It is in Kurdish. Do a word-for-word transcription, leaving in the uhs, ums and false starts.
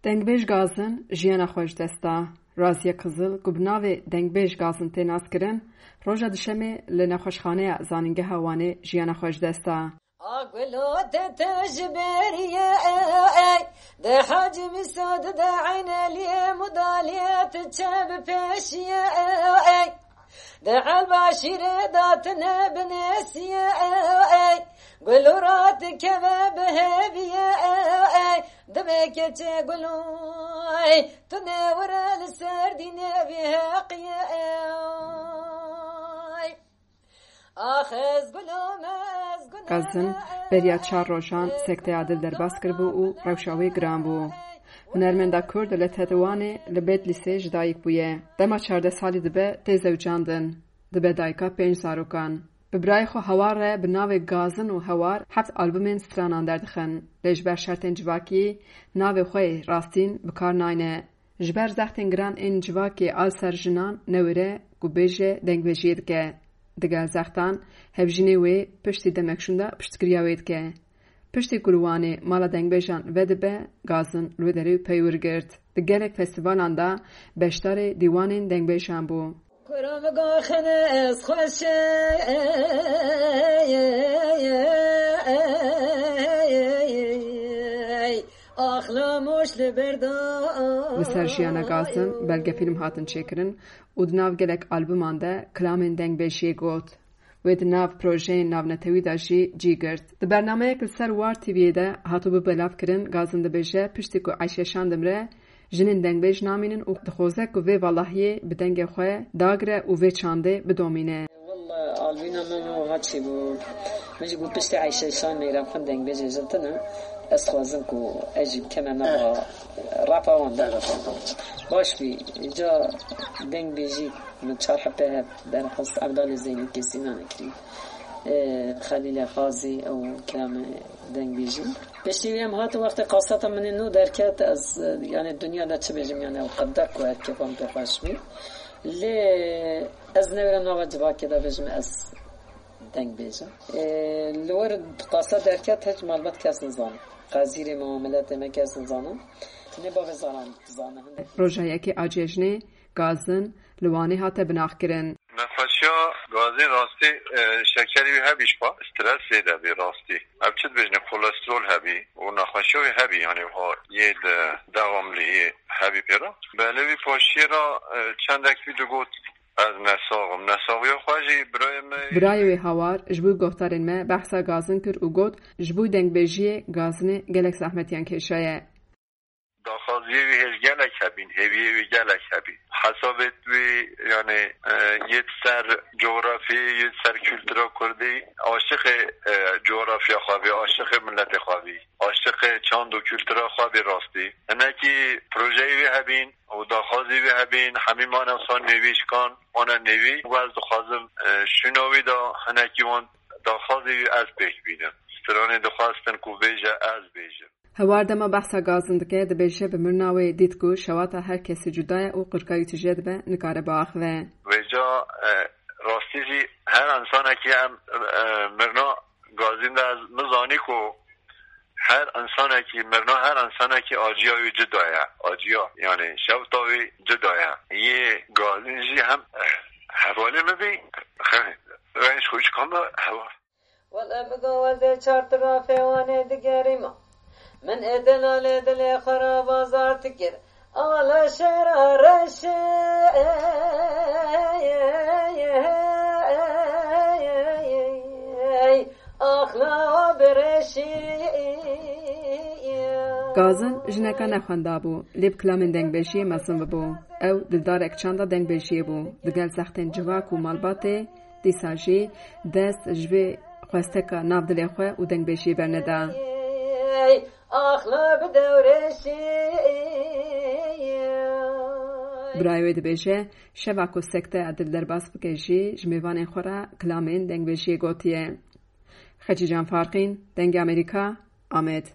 Dengbêj Gazin jiyana xwe ji dest da. Raziye Qizil, ku bi navê Dengbêj Gazin tê naskirin, roja Dişemê li Nexweşxaneya Zanîngeha Wanê jiyana xwe ji dest da. A gulo te te ji beriye ey, de Hacî Mîso de de Eyneliyê Mudaliyê tu çe bi pêşiye ey. De Elbaşîrê da tine binêsiye ey, gul û rat dikeve bi hêviye ey. Dibê keçê gul û ey, tu nêwire li ser dînê vî heqiye ey. Ax ez gul û me ez gul Gazin beriya çar rojan sekteya dil derbas kiribû û rewşa wê giran bû. Hunermenda Kurd li Tetwanê li Bedlîsê ji dayik bûye. Dema çardeh salî dibe tê zewicandin. Dibe dayika pênc zarokan. Bi birayê xwe Hewar re bi navê Gazin û Hewar heft albumên stranan derdixin. Lê ji ber şertên civakî navê xwe yê rastîn bi kar nayne. Ji ber zextên giran ên civakê a li ser jinan newêre ku bêje dengbêjiyê dike. Digel zextan, hevjînê wê piştî demek şûnda piştgiriya wê dike. Piştî ku li Wanê mala dengbêjan vedibe, Gazin li wê derê peywir girt. Di gelek festîvalan de beşdarê dîwanên dengbêjan bû. Kuro min goxin ez xweş e, axla moş li ber da. Li ser jiyana Gazin belgefîlm hatin çêkirin û di nav gelek albuman de kilamên dengbêjiyê got. Wê di nav projeyên navnetewî de jî cî girt. Di bernameyek li ser War T V'yê de hatibû belavkirin, Gazin dibêje, piştî ku Eyşe Şan dimire, jinên dengbêj namînin û dixwaze ku vê valahiyê bi dengê xwe dagire û vê çandê bidomîne. Walla albîna min wiha çêbû. Min jî got piştî Eyşe Şan Meyran Xwend dengbêjê jin tune. Ez xwazim ku ez jî bikeme nava rapa wan de. Baş bî, ca dengbêjî min çar hebe hev derxist, Evdalê Zeynî Kesînan kirî. E, Xelîlê Xazî ew kirame dengbêjî. Piştî wê em hatin wextê kaseta min ê nû derket, ez, e, yani dinya de çi bêjim, yani ew qedek ku her kêfa min pê xweş bî. Lê ez newêre nava civakê de bêjim ez dengbêj im. E, li wir qasa derket hiç malbat kes nizane. Qezîrê me û miletê me kes nizane. Tenê bavê Zaran dizane. Hindek Roja yekê a cejnê, Gazin, li Wanê hate binaxkirin. Nexweşiya Gazin rastî, e, şekerî wî hebî ji xwe, stresê de bî rastî. Ev çi dibêjin, kolesterol hebî û nexweşiya wî hebî, yani wiha yê de dewamlî yê hebî pê re. Belê wî paşiyê re, e, çendek wî digot, ez nesax im. Nesaxiya xwe jî birayê me Birayê wê Hawar ji bo guhdarên me behsa Gazin kir û got, ji bo dengbêjiyê Gazinê gelek zehmetiyan kêşaye. Daxwaziyê wî hêj gelek hebîn, hêviyê wî gelek hebî. Hesabê wî, yani, e, yê ser coğrafyê, yê ser kültüra Kurdî, aşiqê, e, coğrafya xwe bî, aşiqê miletê xwe bî, aşiqê çand û kültüra xwe bî rastî. Hinekî projeyê wî hebîn û daxwazê wî hebîn, hemî mane wisa nêvîşkan, wana nêvî. Û ez dixwazim, e, şûna wî de hinekî wan daxwazê wî ez pêk bînim. Stranê dixwestin ku bêje ez bêjim. Hewar dema behsa Gazin dike, dibêje bi mirina wê dît ku şewata her kesî cuda ye û qirka wî tije dibe, nikare biaxive. Vêca, e, rastî jî her insanekî em, e, mirina Gazin de ez min zanî ku her insanekî, mirina her insanekî acîya wî cuda ye. Acîya, yani şewta wî cuda ye. Yê Gazin jî hem, e, hevalê min bî, reng ji xwe çikan be heval. Wele bigo ez ê çar tirafê Wanê digerîma. Min ê delalê dilê xwe re bazar dikir. Ala şera reşê, axla bireşî. Gazin jineka nexwenda bû, lê bi kilamên dengbêjiyê mezin bibû. Ew dildarek çanda dengbêjiyê bû. Digel zextên civak û malbatê, dîsa jî dest ji vê xwesteka nav dilê xwe û dengbêjiyê berneda. Axla bi dewrêşî. Birayê wê dibêje, şeva ku sekteya dil derbas bike jî ji mêvanên xwe re kilamên dengbêjiyê gotiye. Xecîcan Farqîn, Dengê Amerîka, Amed.